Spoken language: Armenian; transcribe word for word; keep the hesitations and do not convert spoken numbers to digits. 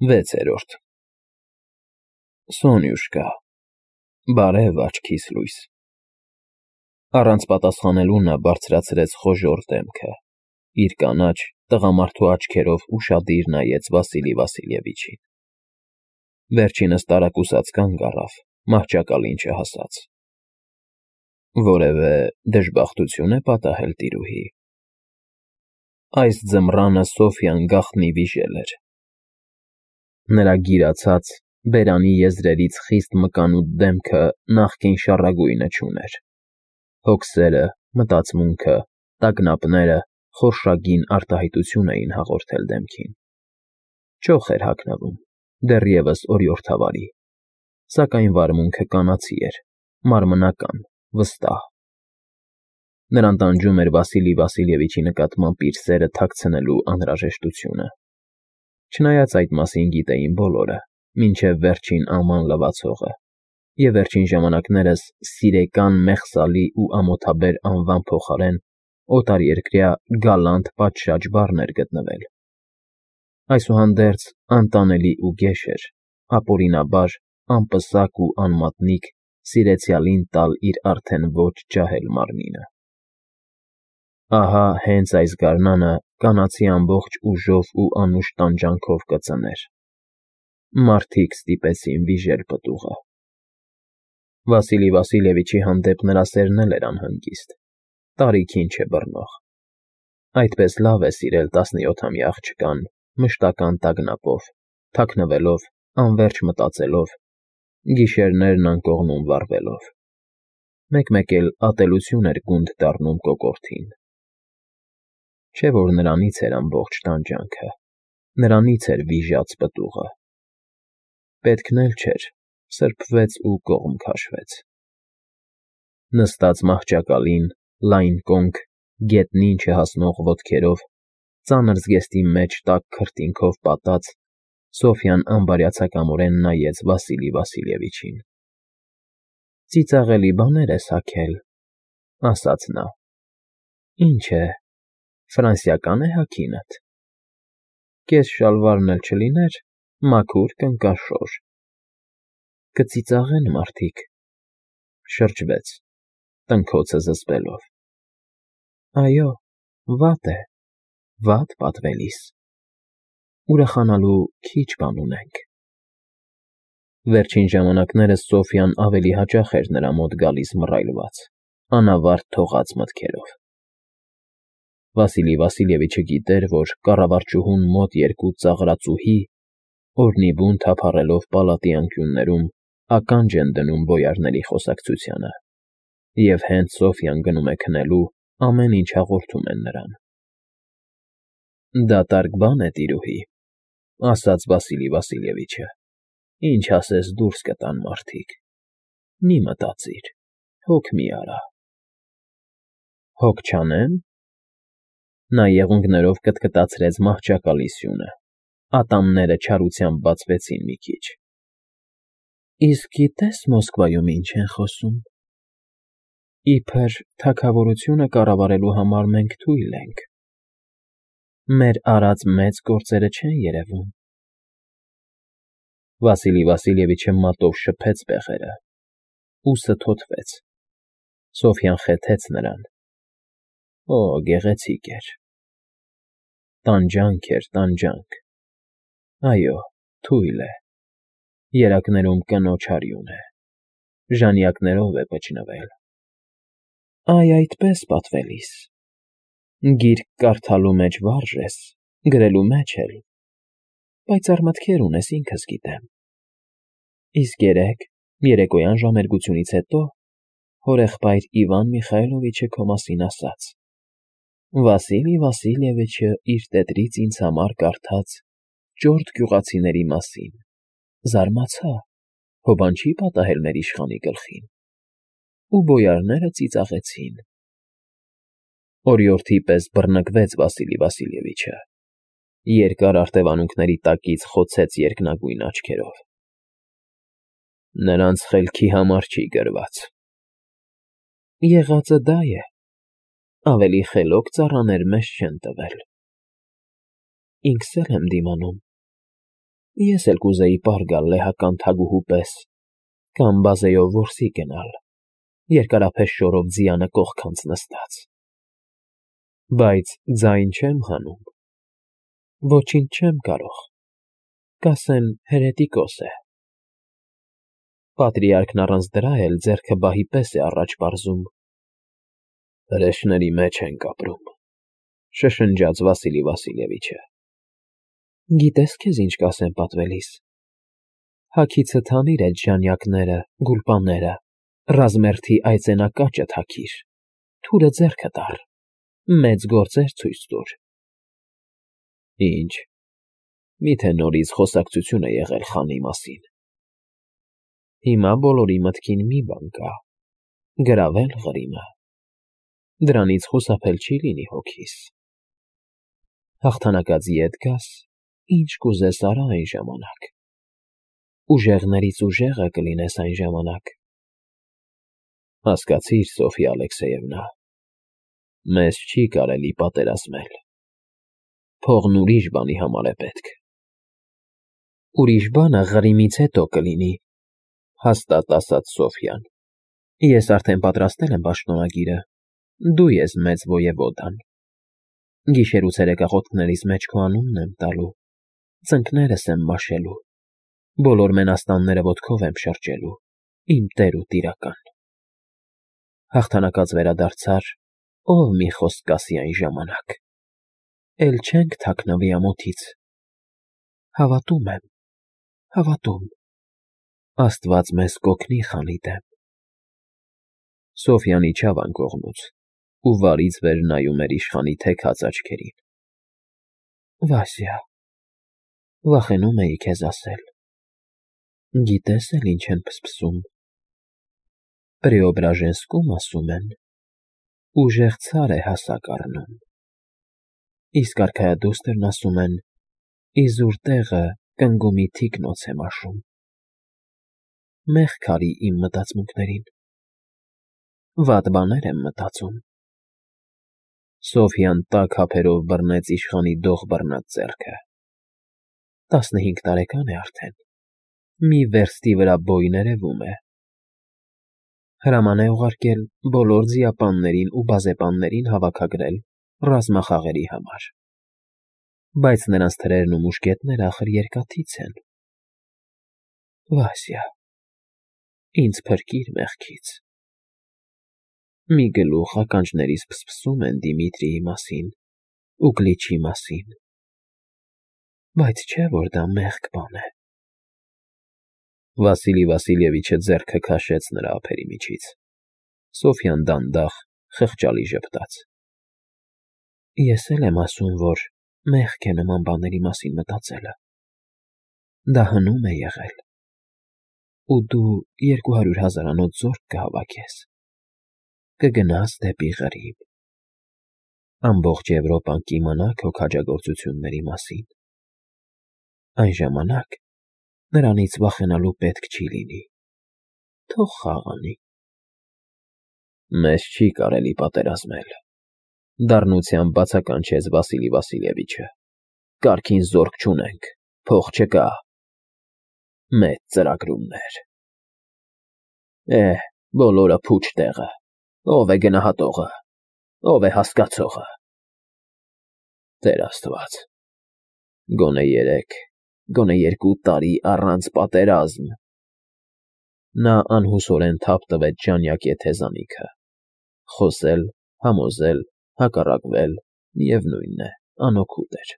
Վեցերորդ Սոնյուշկա, բարև աչքիս լույս։ Առանց պատասխանելու նա բարձրացրեց խոժոռ դեմքը, իր կանաչ, տղամարդու աչքերով ուշադիր նայեց Վասիլի Վասիլևիչին։ Վերջինս տարակուսած կանգ առավ, մահճակալին չհասած։ Որևէ դժբախտություն է պատահել տիրուհի։ Այս ձմռանը Սոֆյան գաղտնի վիժել էր։ Նրա գիրացած, բերանի եզրերից խիստ մկանուտ դեմքը նախկին շառագույնը չուներ։ Հոգսերը, մտածմունքը, տագնապները խորշագին արտահայտություն էին հաղորդել դեմքին։ Չոխ էր հագնվում, դեռևս օրիորդավարի, սակայն վարմունքը կանացի էր, մարմնական, վստահ։ Նրան տանջում էր Վասիլի Վասիլևիչի նկատմամբ իր սերը թաքցնելու անհրաժեշտությունը։ Չնայած այդ մասին գիտեին բոլորը, մինչև վերջին աման լվացողը, և վերջին ժամանակներս սիրեկան մեղսալի ու ամոթաբեր անվան փոխարեն օտարերկրյա գալանտ պատշաճ բառն էր գտնվել։ Այսուհանդերձ անտանելի ու գեշ էր, ապօրինաբար, անպսակ ու անմատնիկ սիրեցյալին տալ իր արդեն ոչ ջահել մարմինը։ Ահա հենց այս գարնանը կանացի ամբողջ ուժով ու անուշ տանջանքով կծներ։ Մարդիկ ստիպեցին վիժել պտուղը։ Վասիլի Վասիլևիչի հանդեպ նրա սերն էլ էր անհանգիստ, տարիքին չէ բռնող։ Այդպես լավ է սիրել տասնյոթամյա աղջկան, մշտական տագնապով, թաքնվելով, անվերջ մտածելով, գիշերներն անկողնում վառվելով։ Մեկ֊մեկ էլ ատելություն էր գունդ դառնում կոկորդին։ Չէ՞ որ նրանից էր ամբողջ տանջանքը, նրանից էր վիժած պտուղը։ Պետքն էլ չէր, սրբվեց ու կողմ քաշվեց։ Նստած մահճակալին, լայն կոնք, գետնին չհասնող ոտքերով, ծանր զգեստի մեջ տաք քրտինքով պատած, Սոֆյան անբարյացակամորեն նայեց Վասիլի Վասիլևիչին։ Ծիծաղելի բաներ ես հագել, ասաց նա։ Ինչ է, ֆրանսիական է հագինդ։ Կես շալվարն էլ չլիներ, մաքուր կնկաշոր։ Կծիծաղեն մարդիկ։ Շրջվեց, տնքոցը զսպելով։ Այո, վատ է, վատ պատվելիս։ Ուրախանալու քիչ բան ունենք։ Վերջին ժամանակներս Սոֆյան ավելի հաճախ էր նրա մոտ գալիս մռայլված, անավարտ թողած մտքերով։ Վասիլի Վասիլևիչը գիտեր, որ կառավարչուհուն մոտ երկու ծաղրածուհի, օրնիբուն թափառելով պալատի անկյուններում, ականջ են դնում բոյարների խոսակցությանը, և հենց Սոֆյան գնում է քնելու, ամեն ինչ հաղորդում են նրան։ Դատարկ բան է, տիրուհի, ասաց Վասիլի Վասիլևիչը, ինչ ասես դուրս կտան մարդիկ։ Մի մտածիր, հոգ մի արա։ Հոգ չանե՞մ։ Նա եղունգներով կտկտացրեց մահճակալի սյունը, ատամները չարությամբ բացվեցին մի քիչ։ Իսկ գիտե՞ս Մոսկվայում ինչ են խոսում։ Իբր թագավորությունը կառավարելու համար մենք թույլ ենք։ Մեր արած մեծ գործերը չեն երևում։ Վասիլի Վասիլևիչը մատով շփեց բեղերը, ուսը թոթվեց։ Սոֆյան խեթեց նրան։ Օ, գեղեցիկ էր։ Տանջանք էր, տանջանք։ Այո, թույլ է։ Երակներում կնոջ արյուն է։ Ժանյակներով է պճնվել։ Այ այդպես պատվելիս։ Գիրք կարդալու մեջ վարժ ես, գրելու մեջ էլ։ Պայծառ մտքեր ունես, ինքս գիտեմ։ Իսկ երեկ, երեկոյան ժամերգությունից հետո, հորեղբայր Իվան Միխայլովիչը քո մասին ասաց։ Վասիլի Վասիլևիչը իր տետրից ինձ համար կարդաց ճորտ գյուղացիների մասին, զարմացա, հո բան չի պատահել մեր իշխանի գլխին։ Ու բոյարները ծիծաղեցին։ Օրիորդի պես բռնկվեց Վասիլի Վասիլևիչը, երկար արտևանունքների տակից խոցեց երկնագույն աչքերով։ Նրանց խելքի համար չի գրված։ Եղածը դա է։ Ավելի խելոք ծառաներ մեզ չեն տվել։ Ինքս էլ եմ դիմանում։ Ես էլ կուզեի պար գալ լեհական թագուհու պես կամ բազեյով որսի գնալ, երկարափեշ շորով ձիանը կողքանց նստած, բայց ձայն չեմ հանում, ոչինչ չեմ կարող, կասեն հերետիկոս է։ Պատրիարքն առանց դրա էլ ձեռքը բահի պես է առաջ պարզում։ Հրեշների մեջ ենք ապրում, շշնջաց Վասիլի Վասիլևիչը։ Գիտես քեզ ինչ կասեն պատվելիս։ Հագիցը թանիր այդ ժանյակները, գուլպաները, ռազմերթի այծենակաճը թաքիր, թուրը ձեռքը տար, մեծ գործեր ցույց տուր։ Ինչ, միթե նորից խոսակցություն է եղել խանի մասին։ Հիմա բոլորի մտքին մի բան կա, գրավել Ղրիմը, դրանից խուսափել չի լինի հոգիս։ Հաղթանակած ետ գաս, ինչ կուզես արա այն ժամանակ, ուժեղներից ուժեղը կլինես այն ժամանակ։ Հասկացիր, Սոֆյա Ալեքսեևնա, մեզ չի կարելի պատերազմել, փողն ուրիշ բանի համար է պետք։ Ուրիշ բանը Ղրիմից հետո կլինի, հաստատ ասաց Սոֆյան։ Ես արդեն պատրաստել եմ պաշտոնագիրը, դու ես մեծ ոևոդան։ Գիշեր ու ցերեկախոտքներիս մեջ քո անունն եմ տալու, ծնկներս եմ մաշելու, բոլոր մենաստանները ոտքով եմ շրջելու, իմ տեր ու տիրական։ Հաղթանակած վերադարձար, ով մի խոսք կասի այն ժամանակ, էլ չենք թաքնվի ամոթից։ Հավատում եմ, հավատում, Աստված մեզ կօգնի խանի դեմ։ Սոֆյան իջավ անկողնուց ու վարից վեր նայում էր իշխանի թեքած աչքերին։ Վասյա, վախենում էի քեզ ասել, գիտես էլ ինչ են փսփսում։ Պրեոբրաժենսկում ասում են, ուժեղ ցար է հասակ առնում, իսկ արքայադուստրն ասում են, իզուր տեղը կնգումի թիկնոց է մաշում։ Մեղք արի իմ մտածմունքներին, վատ բաներ եմ մտածում։ Սոֆյան տաք ափերով բռնեց իշխանի դող բռնած ձեռքը։ Տասնհինգ տարեկան է արդեն, մի վերստի վրա բոյն երևում է։ Հրաման է ուղարկել բոլոր ձիապաններին ու բազեպաններին հավաքագրել ռազմախաղերի համար, բայց նրանց թրերն ու մուշկետները ախր երկաթից են։ Վասյա, ինձ փրկիր մեղքից։ Մի գլուխ ականջներիս փսփսում են Դիմիտրիի մասին ու Գլիչի մասին, բայց չէ որ դա մեղք բան է։ Վասիլի Վասիլևիչը ձեռքը քաշեց նրա ափերի միջից։ Սոֆյան դանդաղ, խղճալի ժպտաց։ Ես էլ եմ ասում, որ մեղք է նման բաների մասին մտածելը։ Դա հնում է եղել։ Ու դու երկու հարյուր հազարանոց զորք կհավաքես, կգնաս դեպի Ղրիմ։ Ամբողջ Եվրոպան կիմանա քո քաջագործությունների մասին։ Այն ժամանակ նրանից վախենալու պետք չի լինի։ Թող խաղանի։ Մեզ չի կարելի պատերազմել, դառնությամբ բացականչեց Վասիլի Վասիլևիչը։ Կարգին զորք չունենք, փող չկա։ Մեծ ծրագրումներ։ Էհ, բոլորը փուչ տեղը, ով է գնահատողը, ով է հասկացողը։ Տեր Աստված, գոնե երեք, գոնե երկու տարի առանց պատերազմ։ Նա անհուսորեն թափ տվեց ժանյակ եթեզանիքը։ Խոսել, համոզել, հակառակվել, միևնույն է, անօգուտ էր։